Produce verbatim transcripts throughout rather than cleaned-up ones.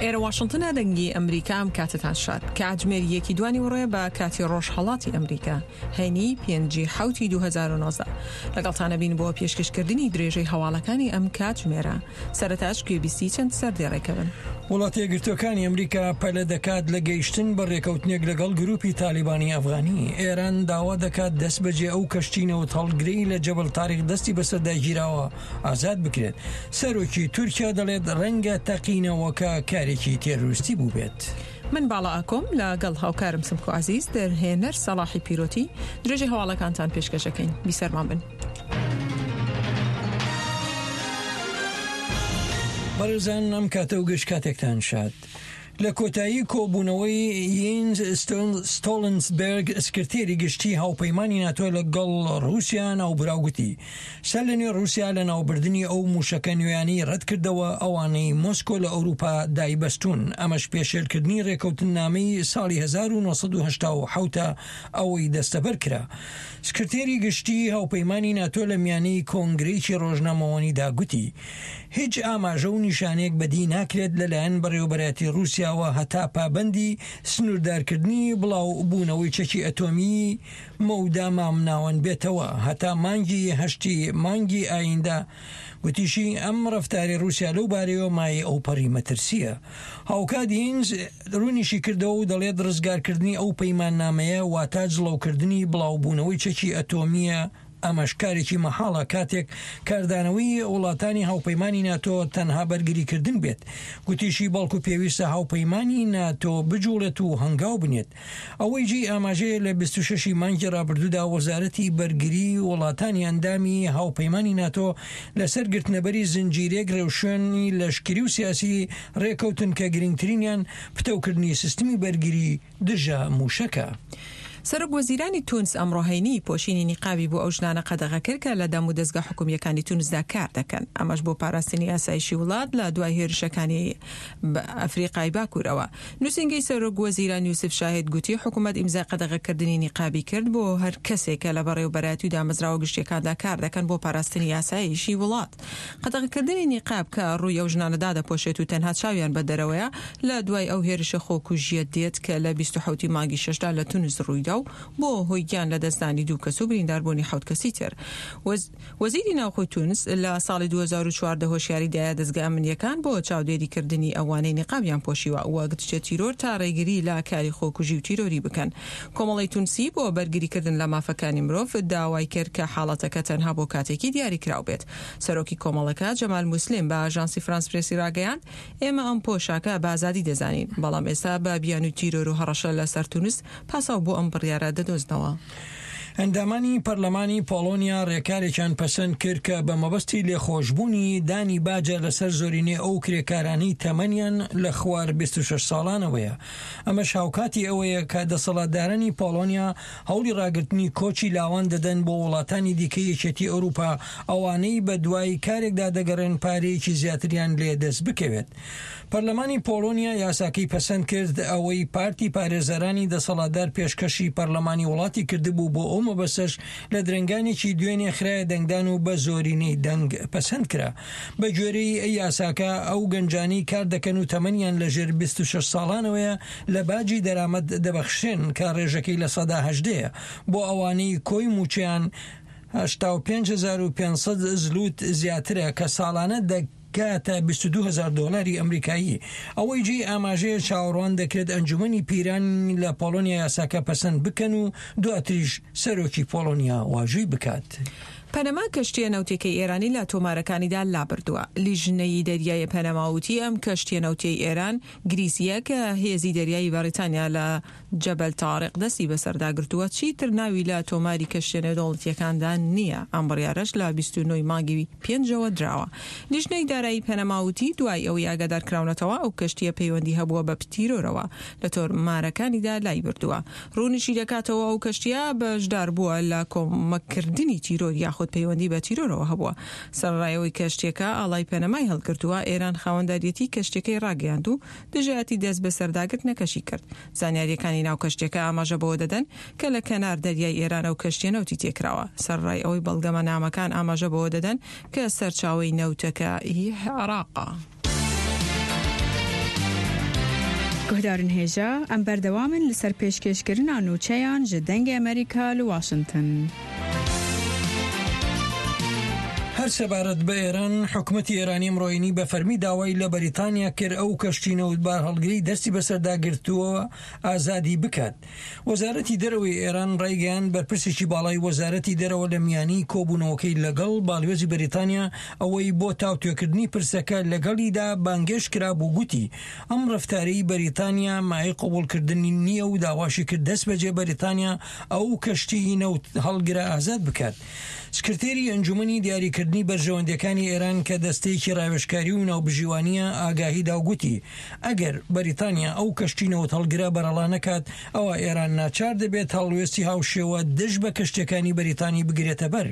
ئێرە واشنتنە، دەنگی ئەمریکا. ئەم کاتتان شاد. کاتژمێر یەکی دوانی وڕێ بە کاتی ڕۆژهەڵاتی ئەمریکا، هەینی پێنجی حوتی دوو هەزار و نۆزدە. لەگەڵتانە بین بۆ پێشکەشکردنی درێژەی هەواڵەکانی ئەم کاتژمێرە. سەرەتاش گوێبیستی چەند سەردێڕێکە بن. وڵاتە یەکگرتووەکانی ئەمریکا پەلە دەکات لە گەیشتن بە ڕێکەوتنێک لەگەڵ گروپی تالیبانی ئەفغانی. ئێران داوا دەکات دەست بەجێ ئەو کەشتی نەوتهەڵگرەی لە جەبل تاریق دەستی بەسەردا گیراوە ئازاد بکرێت. سەرۆکی تورکیا دەڵێت ڕەنگە تەقینەوەکە کارێکی تێرۆریستی بووبێت. من باڵا ئاکۆم لەگەڵ هاوکارم سمکۆ عەزیز، دەرهێنەر سەڵاحی پیرۆتی، درێژەی هەواڵەکانتان پێشکەشەکەین. بیسەرمان بن. بەڕێزان، ئەم کاتە و گشت کاتێکتان شاد. لە کۆتایی کۆبوونەوەی یینز ستۆڵنسبێرگ سکرتێری گشتی هاوپەیمانی ناتۆ لەگەڵ ڕووسیا ناوبراو گوتی سەر لە نوێ ڕووسیا لە ناوبردنی ئەو موشەکە نوێیانەی ڕەتکردەوە ئەوانەی مۆسکۆ لە ئەوروپا دایبەستون، ئەمەش پێشێلکردنی ڕێکەوتننامەی ساڵی هەزار و نۆ سەد و هەشتا و حەوت ئەوەی دەستەبەر کرا. سکرتێری گشتی هاوپەیمانی ناتۆ لە میانەی کۆنگرەیەکی ڕۆژنامەوانیدا گوتی هیچ ئاماژە و نیشانەیەک بەدی ناکرێت لەلایەن بەڕێوەبەرایەتی ڕووسیاوە هەتا پابەندی سنووردارکردنی بڵاو بوونەوەی چەکی ئەتۆمی مەودا مامناوەند بێتەوە هەتا مانگی هەشتی مانگی ئایندە. گوتیشی ئەم ڕەفتاری ڕووسیا لەو بارەیەوە مایەی ئەوپەڕی مەترسیە. هاوکات یینز ڕوونیشی کردەوە و دەڵێت ڕزگارکردنی ئەو پەیماننامەیە واتا جڵەوکردنی بڵاوبوونەوەی چەکی ئەتۆمیە، ئەمەش کارێکی مەحاڵە کاتێک کاردانەوەی وڵاتانی هاوپەیمانی ناتۆ تەنها بەرگریکردن بێت. گوتیشی بەڵکو پێویستە هاوپەیمانی ناتۆ بجوڵێت و هەنگاو بنێت. ئەوەی جێی ئاماژەیە لە بیست و شەش مانگی ڕابردوودا وەزارەتی بەرگری وڵاتانی ئەندامی هاوپەیمانی ناتۆ لەسەر گرتنەبەری زنجیرێک ڕێوشوێنی لەشکری و سیاسی ڕێکەوتن کە گرنگترینیان پتەوکردنی سیستمی بەرگری دژە موشەکە. سەرۆک وەزیرانی تونس ئەمڕۆ هەینی پۆشینی نیقابی بۆ ئەو ژنانە قەدەغە کرد کە لە دەم و دەستگا حکومییەکانی تونسدا کار دەکەن، ئەمەش بۆ پاراستنی ئاسایشی وڵات لە دوای هێرشەکانی ئەفریقای باکوورەوە. نووسینگەی سەرۆک وەزیران یوسف شاهد گوتی حکوومەت ئیمزای قەدەغەکردنی نیقابی کرد بۆ هەر کەسێک کە لە بەڕێوەبەرایەتی و دامەزراوە گشتیەکاندا کار دەکەن بۆ پاراستنی ئاسایشی وڵات. قەدەغەکردنی نیقاب کە ڕووی ئەو ژنانە دادەپۆشێت و تەنها چاویان بە دەرەوەیە لە دوای ئەو هێرشە خۆکوژیە دێت کە لە بیست و حەوتی مانگی شەشدا لە تونس ڕوویدا و بۆ هۆی گیان لە دەستدانی دوو کەس و برینداربوونی حەوت کەسی تر. وەزیری ناوخۆی تونس لە ساڵی دوو هەزار و چواردە هۆشیاری دایە دەستگا ئەمنیەکان بۆ چاودێریکردنی ئەوانەی نیقابیان پۆشیوە وەک دژە تیرۆر تا ڕێگری لە کاری خۆکوژی و تیرۆری بکەن. کۆمەڵەی تونسی بۆ بەرگریکردن لە مافەکانی مرۆڤ داوای کرد کە حاڵەتەکە تەنها بۆ کاتێکی دیاریکراو بێت. سەرۆکی کۆمەڵەکە جەمال موسلیم بە ئاژانسی فرانس پرێسی ڕاگەیاند ئێمە ئەم پۆشاکە بە ئازادی دەزانین، بەڵام ئێستا بە بیانووی تیرۆر و هەڕەشە لەسەر تونس پاساو بۆ ئەم بڕیارە دەدۆزنەوە. ئەندامانی پەرلەمانی پۆڵۆنیا ڕێکارێکیان پەسەند کرد کە بە مەبەستی لێخۆشبوونی دانی باجە لەسەر زۆرینەی ئەو کرێکارانەی تەمەنیان لە خوار بیست و شەش ساڵانەوەیە. ئەمەش هاوکاتی ئەوەیە کە دەسەڵاتدارانی پۆڵۆنیا هەوڵی ڕاگرتنی کۆچی لاوان دەدەن بۆ وڵاتانی دیکەی یەکێتی ئەوروپا، ئەوانەی بە دوای کارێکدا دەگەڕێن پارەیەکی زیاتریان لێ دەست بکەوێت. پەرلەمانی پۆڵۆنیا یاساکەی پەسەند کرد، ئەوەی پارتی پارێزەرانی دەسەڵاتدار پێشکەشی پەرلەمانی وڵاتی کردبوو بۆ ئەو مەبەستەش لە درەنگانێکی دوێنێ خرایە دەنگدان و بە زۆرینەی دەنگ پەسەند کرا. بە گوێرەی یاساکە ئەو گەنجانەی کار دەکەن و تەمەنیان لەژێر بیست و شەش ساڵانەوەیە لە باجی دەرامەت دەبەخشرێن کە ڕێژەکەی لە سەدا هەژدەیە بۆ ئەوانەی کۆی موچەیان هەشتا و پێنج هەزار و پێنج سەد زلوت زیاترە کە ساڵانە دەگاتە بیست و دوو هەزار دۆلاری ئەمریکایی. ئەوەی جێی ئاماژەیە چاوەڕوان دەکرێت ئەنجومەنی پیران لە پۆڵۆنیا یاساکە پەسەند بکەن و دواتریش سەرۆکی پۆڵۆنیا واژووی بکات. پەنەما کەشتیە نەوتێکەی ئێرانی لە تۆمارەکانیدا لابردووە. لیژنەی دەریای پەنەما وتی ئەم کەشتیە نەوتیەی ئێران گریسیە کە هێزی دەریایی بەریتانیا لە جەبەل تاریق دەستی بەسەردا گرتووە، چیتر ناوی لە تۆماری کەشتیە نێودەوڵەتیەکاندا نییە. ئەم بڕیارەش لە بیست و نۆ مانگی پێنجەوە دراوە. لیژنەی دارایی پەنەما وتی دوای ئەوەی ئاگادار کراونەتەوە ئەو کەشتیە پەیوەندی هەبووە بە تیرۆرەوە لە تۆمارەکانیدا لای بردووە. ڕوونیشی دەکاتەوە ئەو کەشتیە بەشدار بووە لە کۆمەککردنی تیرۆر یاخود پەیوەندی بە تیرۆرەوە هەبووە. سەرەڕای ئەوەی کەشتیەکە ئاڵای پەنەمای هەڵگرتووە، ئێران خاوەنداریەتی کەشتیەکەی ڕاگەیاند و دژایەتی دەست بەسەرداگرتنەکەشی کرد. زانیاریەکانی ناو کەشتیەکە ئاماژە بەوە دەدەن کە لە کەنار دەریای ئێران ئەو کەشتیە نەوتی تێکراوە. سەرەڕای ئەوەی بەڵگەمەنامەکان ئاماژە بەوە دەدەن کە سەرچاوەی نەوتەکە هی عێراقە. Guhdarên hêja em berdewam in li ser pêşkêşkirina nûçeyan ji Dengê Amerîka li Washington. هەر سەبارەت بە ئێران، حکومەتی ئێرانی ئەمڕۆ هەینی بە فەرمی داوای لە بەریتانیا کرد ئەو کەشتی نەوتبار هەڵگری دەستی بەسەردا گرتووە ئازادی بکات. وەزارەتی دەرەوەی ئێران ڕایگەیاند بەرپرسێکی باڵای وەزارەتی دەرەوە لە میانی کۆبوونەوەکەی لەگەڵ باڵیۆزی بەریتانیا ئەوەی بۆ تاوتوێکردنی پرسەکە لەگەڵیدا بانگێشت کرابوو گوتی ئەم ڕەفتارەی بەریتانیا مایەی قبوڵکردنی نییە و داواشی کرد دەست بەجێ بەریتانیا ئەو کەشتی نەوت هەڵگرە ئازاد بکات. سکرتێری ئەنجومەنی دیاریکردنی بەرژەوەندیەکانی ئێران کە دەستەیەکی ڕاوێژکاری و ناوبژیوانیە ئاگاهی دا و گوتی ئەگەر بەریتانیا ئەو کەشتی نەوت هەڵگرە بەرەڵا نەکات ئەوە ئێران ناچار دەبێت هەڵوێستی هاوشێوە دژ بە کەشتیەکانی بەریتانی بگرێتە بەر.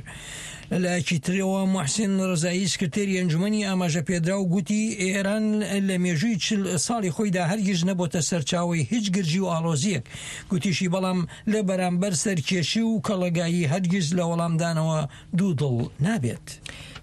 لەلایەکی ترەوە محسن ڕەزایی سکرتێری ئەنجومەنی ئاماژە پێدراو گوتی ئێران لە مێژووی چل ساڵی خۆیدا هەرگیز نەبۆتە سەرچاوەی هیچ گرژی و ئاڵۆزیەک، گوتیشی بەڵام لە بەرامبەر سەرکێشی و کەڵەگایی هەرگیز لە وەڵامدانەوە دوو دڵ نابێت.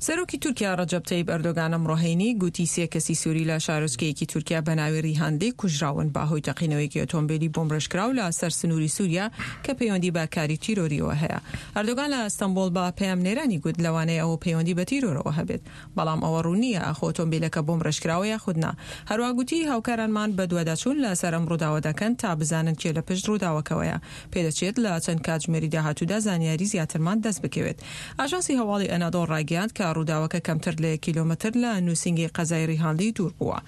سەرۆکی تورکیا ڕەجەب تەیب ئەردۆگان ئەمڕۆ هەینی گوتی سێ کەسی سووری لە شارۆچکەیەکی تورکیا بە ناوی ریهانلی کوژراون بەهۆی تەقینەوەیەکی ئۆتۆمبیلی بۆمبڕێژکراو لە سەر سنووری سووریا کە پەیوەندی بە کاری تیرۆریەوە هەیە. ئەردۆگان لە ئەستەنبوڵ بە پەیامنێرانی گوت لەوانەیە ئەوە پەیوەندی بە تیرۆرەوە هەبێت، بەڵام ئەوە ڕوون نییە ئاخۆ ئۆتۆمبیلەکە بۆمبڕێژکراوە یاخود نا. هەروە گوتی هاوکارانمان بەدواداچوون لەسەر ئەم ڕووداوە دەکەن تا بزانن کێ لە پشت ڕووداوەکەوەیە. پێدەچێت لە چەند کاتژمێری داهاتوودا زانیاری زیاترمان دەست بکەوێت. ئاژانسی هەواڵی ئەنادۆڵ ڕایگەیاند کە ڕووداوەکە کەمتر لە یەک کیلۆمەتر لە نووسینگەی قەزای ریهانلی دوور بووە.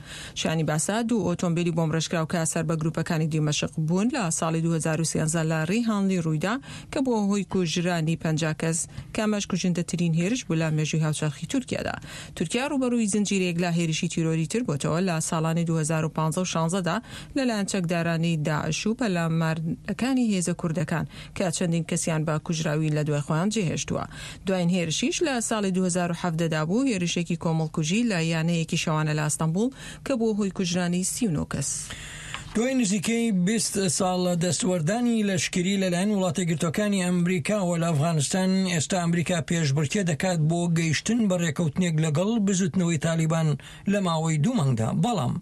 شانی باسە دوو ئۆتۆمبیلی بۆمبڕێژکراو کە سەر بە گروپەکانی دیمەشق بوون لە ساڵی دوو هەزار و سێزدە لە ریهانلی ڕوویدا کە بووە هۆی کوژرانی پەنجا کەس کە ئەمەش کوژندەترین هێرش بوو لە مێژووی هاوچەرخی تورکیادا. تورکیا ڕووبەڕووی زنجیرەیەک لە هێرشی تیرۆری تر بۆتەوە لە ساڵانی دوو هەزار و پازدە و شازدە دا لەلایەن چەکدارانی داعش و پەلامارەکانی هێزە کوردەکان کە چەندین کەسیان بە کوژراوی لە دوای خۆیان جێهێشتووە. دوایین هێرشیش لە ساڵی دوو هەزار و حەڤدە دا بوو، هێرشێکی کۆمەڵکوژی لە یانەیەکی شەوانە لە ئەستەنبوڵ کە بووە هۆی کوژرانی سی و نۆ کەس. دوای نزیکەی بیست ساڵ لە دەستوەردانی لەشکری لەلایەن وڵاتەیەکگرتووەکانی ئەمریکاوە لە ئەفغانستان، ئێستا ئەمریکا پێشبڕکێ دەکات بۆ گەیشتن بە ڕێکەوتنێک لەگەڵ بزوتنەوەی تالیبان لە ماوەی دوو مانگدا. بەڵام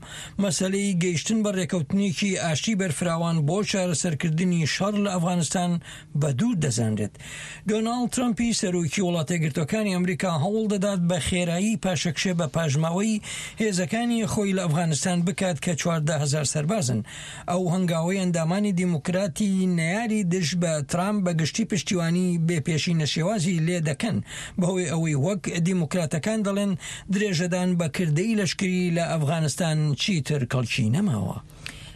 مەسەلەی گەیشتن بە ڕێکەوتنێکی ئاشتی بەرفراوان بۆ چارەسەرکردنی شەڕ لە ئەفغانستان بە دوور دەزانرێت. دۆناڵد ترەمپی سەرۆکی وڵاتەیەکگرتووەکانی ئەمریکا هەوڵ دەدات بە خێرایی پاشەکشێ بە پاشماوەی هێزەکانی خۆی لە ئەفغانستان بکات کە چواردە هەزار سەربازن. ئەو هەنگاوەی ئەندامانی دیموکراتی نەیاری دژ بە ترامپ بە گشتی پشتیوانی بێپێشینە شێوازی لێ دەکەن، بەهۆی ئەوەی وەک دیموکراتەکان دەڵێن درێژەدان بە کردەی لەشکری لە ئەفغانستان چیتر کەڵکی نەماوە.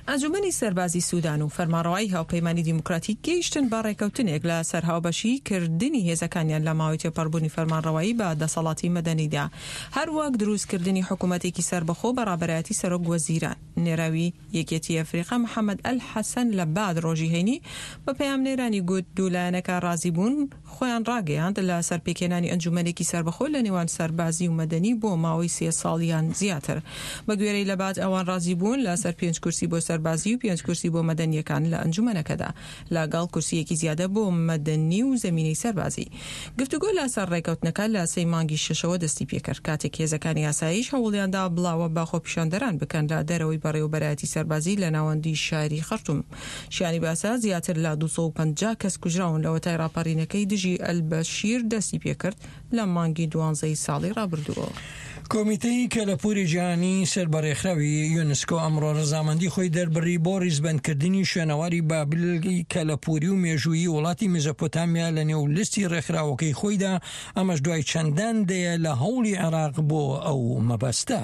ئەنجومەنی سەربازی سودان و فەرمانڕەوایی هاوپەیمانی دیموکراتی گەیشتن بە ڕێکەوتنێک لە سەر هاوبەشی کردنی هێزەکانیان لە ماوەی تێپەڕبوونی فەرمانڕەوایی بە دەسەڵاتی مەدەنیدا، هەروەک دروستکردنی حکوومەتێکی سەربەخۆ بە ڕابەرایەتی سەرۆک وەزیران. نێراوی یەکێتی ئەفریقا محەممەد ئەلحەسەن لە باد ڕۆژی هەینی بە پەیامنێرانی گوت دوو لایەنەکە ڕازی بوون خۆیان ڕاگەیاند لە سەر پێکهێنانی ئەنجومەنێکی سەربەخۆ لە نێوان سەربازی و مەدەنی بۆ ماوەی سێ ساڵیان زیاتر. بە گوێرەی لەباد ئەوان ڕازی بوون لە سەر پێنج کورسی بۆ سەربازی و پێنج کورسی بۆ مەدەنیەکان لە ئەنجومەنەکەدا لەگەڵ کورسیەکی زیادە بۆ مەدەنی و زەمینەی سەربازی. گفتوگۆ لەسەر ڕێکەوتنەکە لە سێی مانگی شەشەوە دەستی پێکرد کاتێک هێزەکانی ئاسایش هەوڵیاندا بڵاوە بە خۆپیشاندەران بکەن لە دەرەوەی بەڕێوەبەرایەتی سەربازی لە ناوەندی شاری خەرتوم. شیانی باسە زیاتر لە دوو سەد و پەنجا کەس کوژراون لەوەتای ڕاپەڕینەکەی دژی ئەلبەشیر دەستی پێکرد لە مانگی دوانزەی ساڵی ڕابردووەوە. کۆمیتەی کەلەپوری جیهانی سەر بە ڕێکخراوی یونسکۆ ئەمڕۆ ڕەزامەندی خۆی دەربڕی بۆ ڕیزبەندکردنی شوێنەواری بابلی کەلەپوری و مێژوویی وڵاتی مێزۆپۆتامیا لە نێو لیستی ڕێکخراوەکەی خۆیدا، ئەمەش دوای چەندان دەیە لە هەوڵی عێراق بۆ ئەو مەبەستە.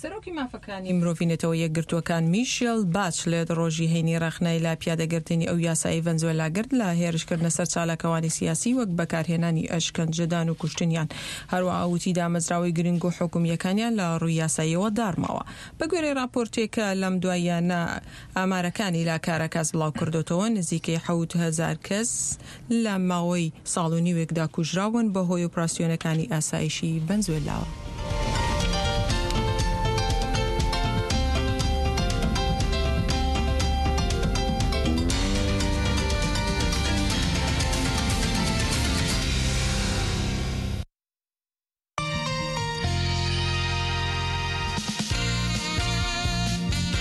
سەرۆکی مافەکانی مرۆڤی نەتەوە یەکگرتووەکان میشێل باچلێت ڕۆژی هەینی ڕەخنەی لە پیادەگرتنی ئەو یاسایی ڤەنزوێلا گرت لە هێرشکردنە سەر چالاکەوانی سیاسی وەک بەکارهێنانی ئەشکەنجەدان و کوشتنیان، هەروەها وتی دامەزراوەی گرنگ و حکومییەکانیان لە ڕووی یاساییەوە داڕماوە. بە گوێرەی راپۆرتێک کە لەم دواییانە ئامارەکانی لە کاراکاس بڵاو کردوتەوە، نزیکەی حەوت هەزار کەس لە ماوەی ساڵ و نیوێکدا کوژراون بەهۆی ئۆپراسیۆنەکانی ئاسایشی ڤەنزوێلاوە.